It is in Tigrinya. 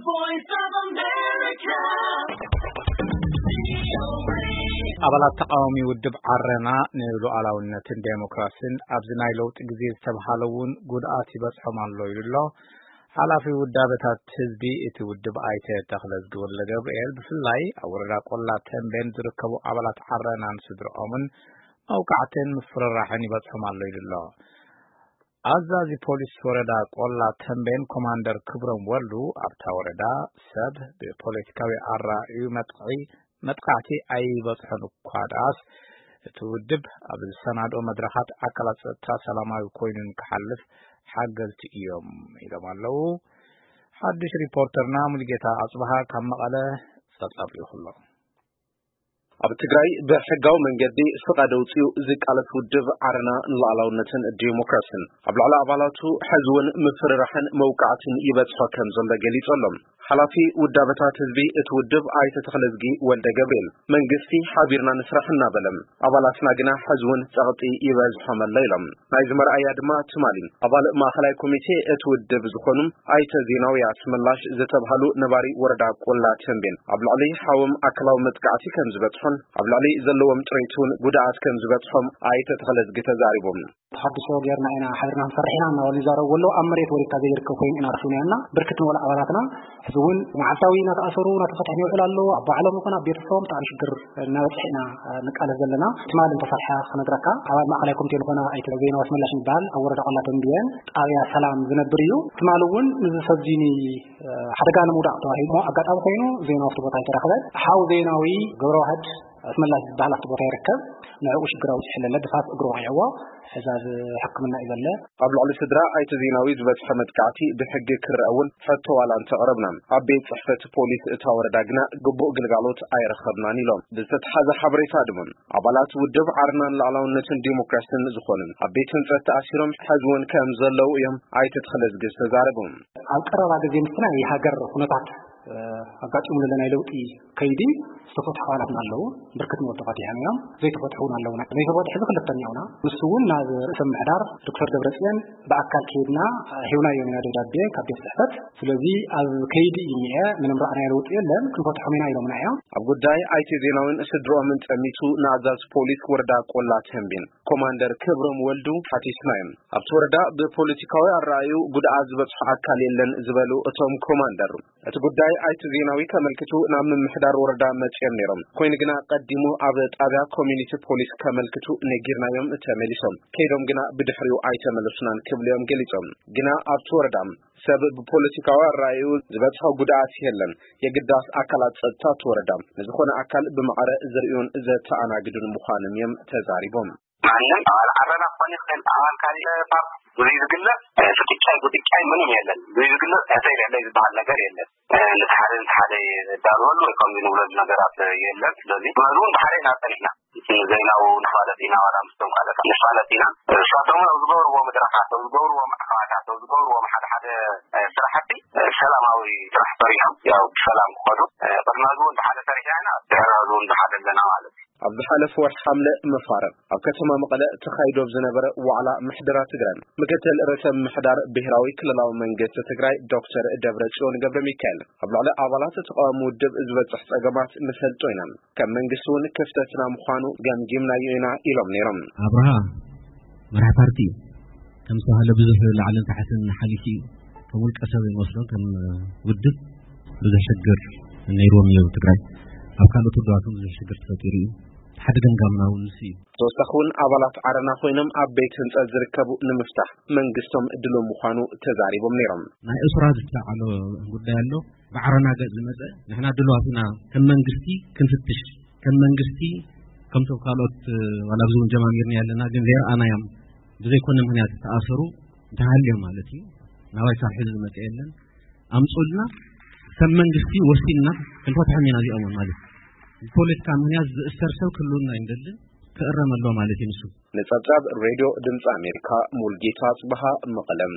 Voice of America. ኣባላት ተቃዋሚ ውድብ ዓረና ንሉዓላውነትን ዴሞክራሲን ኣብዚ ናይ ለውጢ ግዜ ዝተብሃለ እውን ጉድኣት ይበጽሖም ኣሎ ኢሉ ኣሎ። ሓላፊ ውዳበታት ህዝቢ እቲ ውድብ ኣይተ ተኽለዝጊ ወልደ ገብርኤል ብፍላይ ኣብ ወረዳ ቆላ ተንቤን ዝርከቡ ኣባላት ዓረናን ስድርኦምን መውቃዕትን ምፍርራሕን ይበጽሖም ኣሎ ኢሉ ኣሎ። ኣዛዚ ፖሊስ ወረዳ ቆላ ተንቤን ኮማንደር ክብሮም ወልዱ ኣብታ ወረዳ ሰብ ብፖለቲካዊ ኣራእዩ መጥቕዒ መጥቃዕቲ ኣይበጽሖን እኳ ደኣስ እቲ ውድብ ኣብ ዝሰናድኦ መድረኻት ኣካላት ጸጥታ ሰላማዊ ኮይኑ ንክሓልፍ ሓገዝቲ እዮም ኢሎም ኣለዉ። ሓድሽ ሪፖርተርና ሙሉጌታ ኣጽብሃ ካብ መቐለ ጸብጻብ ልኢኹ ኣሎ። ኣብ ትግራይ ብሕጋዊ መንገዲ ፍቓድ ኣውፂኡ ዝቃለስ ውድብ ዓረና ንሉዓላውነትን ዲሞክራሲን ኣብ ልዕሊ ኣባላቱ ሕዚ እውን ምፍርራሕን መውቃዕትን ይበፅሖ ከም ዘሎ ገሊፁ ኣሎ። ሓላፊ ውዳበታት ህዝቢ እቲ ውድብ ኣይተ ተኽለዝጊ ወልደ ገብርኤል መንግስቲ ሓቢርና ንስራሕ እናበለ ኣባላትና ግና ሕዚ እውን ፀቕጢ ይበዝሖም ኣሎ ኢሎም። ናይዚ መርኣያ ድማ ትማሊ ኣባል ማእኸላይ ኮሚቴ እቲ ውድብ ዝኾኑ ኣይተ ዜናዊ ኣስመላሽ ዝተብሃሉ ነባሪ ወረዳ ቆላ ተንቤን ኣብ ልዕሊ ሓዎም ኣካላዊ መጥቃዕቲ ከም ዝበፅሖን ኣብ ልዕሊ ዘለዎም ጥሪት እውን ጉድኣት ከም ዝበፅሖም ኣይተ ተኽለዝጊ ተዛሪቦም። ተሓድሶ ጌርና ኢና፣ ሓቢርና ክንሰርሕ ኢና እናበሉ ይዛረቡ ኣለዉ። ኣብ መሬት ወሪድካ ዘይርከብ ኮይኑ ኢና ረኺብናዮ እና ብርክት ዝበሉ ኣባላትና ሕዚ እውን መዓልታዊ እናተኣሰሩ እናተፈትሑ ይውዕሉ ኣለዉ። ኣብ ባዕሎም ይኹን ኣብ ቤተሰቦም ብጣዕሚ ሽግር እናበፅሐ ኢና ንቃለስ ዘለና። ትማሊ እንተሰርሐ ክነግረካ፣ ኣባል ማእኸላይ ኮሚቴ ዝኾነ ኣይተ ዜናዊ ኣስመላሽ ይበሃል፣ ኣብ ወረዳ ቆላ ተንቤን ጣብያ ሰላም ዝነብር እዩ። ትማሊ እውን ንዚ ሰብ እዚ ን-፣ ሓደጋ ንምውዳቕ ተባሂሉ ኣጋጣሚ ኮይኑ ዜናዊ ኣብቲ ቦታ ኣይተረኽበን። ሓው ዜናዊ ገብረዋህድ ኣስመላሽ ዝበሃል ኣብቲ ቦታ ይርከብ። ንዕኡ ሽግር ኣውፂሑ ኣለለ፣ ድፋስ እግሩ ወቒዕዎ። ሕዚ ኣብ ሕክምና እዩ ዘለ። ኣብ ልዕሊ ስድራ ኣይተ ዜናዊ ዝበፅሐ መጥቃዕቲ ብሕጊ ክረአ እውን ሕቶ ዋላ እንተቕረብና፣ ኣብ ቤት ፅሕፈት ፖሊስ እታ ወረዳ ግና ግቡእ ግልጋሎት ኣይረኸብናን ኢሎም። ብዝተተሓዘ ሓበሬታ ድማ ኣባላት ውድብ ዓረና ንሉዓላውነትን ዲሞክራሲን ዝኾኑ ኣብ ቤት ህንፀት ተኣሲሮም ሕዚ እውን ከም ዘለዉ እዮም ኣይተ ተኽለዝጊ ዝተዛረቡ። ኣብ ቀረባ ግዜ ምስቲ ናይ ሃገር ኩነታት ኣጋጢሙ ዘሎ ናይ ለውጢ ከይዲ ዝተፈትሑ ኣባላትና ኣለዉ። ብርክት ዝበሉ ተፈቲሖም እዮም። ዘይተፈትሑ እውን ኣለዉና። ዘይተፈትሑ እዚ ክልተ እኒኦና። ንሱ እውን ናብ ርእሰ ምምሕዳር ዶክተር ደብረጽዮን ብኣካል ከይድና ሂብናዮም ኢና ደብዳቤ ካብ ቤት ጽሕፈት። ስለዚ ኣብ ከይዲ እዩ እኒአ፣ ምንም ረኣናዮ ለውጢ የለን፣ ክንፈትሖም ኢና ኢሎምና እዮም። ኣብ ጉዳይ ኣይተ ዜናዊን ስድርኦምን ጠሚቱ ንኣዛዚ ፖሊስ ወረዳ ቆላ ተንቤን ኮማንደር ክብሮም ወልዱ ሓቲትና እዮም። ኣብቲ ወረዳ ብፖለቲካዊ ኣረኣዩ ጉድኣት ዝበፅሖ ኣካል የለን ዝበሉ እቶም ኮማንደር፣ እቲ ጉዳይ ኣይተ ዜናዊ ከመልክቱ ናብ ምምሕዳር ወረዳ መፅዮም ነይሮም። ኮይኑ ግና ቀዲሙ ኣብ ጣብያ ኮሚኒቲ ፖሊስ ከመልክቱ ነጊርናዮም ተመሊሶም። ከይዶም ግና ብድሕሪኡ ኣይተመለሱናን ክብሉ እዮም ገሊፆም። ግና ኣብቲ ወረዳ ሰብ ብፖለቲካዊ ኣረኣዩ ዝበፅሖ ጉድኣት የለን። የግዳስ ኣካላት ፀጥታ እቲ ወረዳ ንዝኾነ ኣካል ብማዕረ ዝርእዩን ዘተኣናግዱን ምዃኖም እዮም ተዛሪቦም። ማንም ኣባል ዓረና ክኾን ይኽእል፣ ኣባል ካሊእ ፓርቲ ብዙይ ዝግለጽ፣ እ፣ ፍጥጫይ ጉጥጫይ ምንም የለን። ብዙይ ዝግለጽ ሕሰይ ልዕለይ ዝበሃል ነገር የለን። እ፣ ነቲ ሓደ ነቲ ሓደ የዳልወሉ ወይ ከምዚ ንብለሉ ነገራት የለን። ስለዚ መዝሙር ብሓደ ኢና ጸኒሕና። ንዘይናው ንፋለጥ ኢና፣ ዋላ ምስቶም ካልኦት ንፋለጥ ኢና። እሳቶም ኣብ ዝገብርዎ መድረኻት፣ ኣብ ዝገብርዎ ማዕኸናት፣ ኣብ ዝገብርዎ ሓደ ሓደ፣ እ፣ ስራሕቲ፣ እ፣ ሰላማዊ ስራሕ ሰሪሖም፣ ያው ብሰላም ክኸዱ፣ እ፣ ቅድሚ ሕዚ እውን ብሓደ ሰሪሕና ኢና፣ ድሕሪ ሕዚ እውን ብሓደ ኣለና ማለት እዩ። ኣብ ዝሓለፈ ወርሒ ሓምለ መፋርቕ ኣብ ከተማ መቐለ ተኻይዶ ኣብ ዝነበረ ዋዕላ ምሕደራ ትግራይ፣ ምክትል ርእሰ ምምሕዳር ብሄራዊ ክልላዊ መንግስቲ ትግራይ ዶክተር ደብረጽዮን ገብረ ሚካኤል ኣብ ልዕሊ ኣባላት ተቃዋሚ ውድብ ዝበፅሕ ጸገማት ንፈልጦ ኢና፣ ከም መንግስቲ እውን ክፍተትና ምዃኑ ገምጊምናዮ ኢና ኢሎም ነይሮም። ኣብርሃ መራሒ ፓርቲ እዩ። ከም ዝተባህለ ብዙሕ ላዕልን ታሕትን ሓሊፉ እዩ። ከም ውልቀ ሰብ ይመስሎ፣ ከም ውድብ ብዙሕ ሽግር ነይርዎም እዩ ኣብ ትግራይ። ኣብ ካልኦት ውድባት እውን ብዙሕ ሽግር ተፈጢሩ እዩ። ሓደ ገምጋምና እውን ንሱ እዩ። ተወሳኺ እውን ኣባላት ዓረና ኮይኖም ኣብ ቤት ህንፀት ዝርከቡ ንምፍታሕ መንግስቶም ድሉው ምዃኑ ተዛሪቦም ነይሮም። ናይ እሱራት ዝተዓሎ ጉዳይ ኣሎ። ብዓረና ገጽ ዝመጸ ንሕና ድሉዋት ኢና ከም መንግስቲ ክንፍትሽ፣ ከም መንግስቲ ከምቶም ካልኦት፣ እ፣ ዋላ ኣብዚ እውን ጀማሚርና ኣለና፣ ግን ዘይረኣናዮም ብዘይኮነ ምኽንያት ዝተኣሰሩ እንተሃልዮም ማለት እዩ። ናባይ ካብ ሕዚ ዝመጸ የለን። ኣምጹልና ከም መንግስቲ ወሲንና ክንፈትሖም ኢና እዚኦም እውን ማለት እዩ። ብፖለቲካ ምኽንያት ዝእሰር ሰብ ክህልውና ኣይንደልን፣ ክእረም ኣለዎ ማለት እዩ ንሱ። ንጸብጻብ ሬድዮ ድምጺ ኣሜሪካ ሙልጌታ ጽበሃ መቐለም።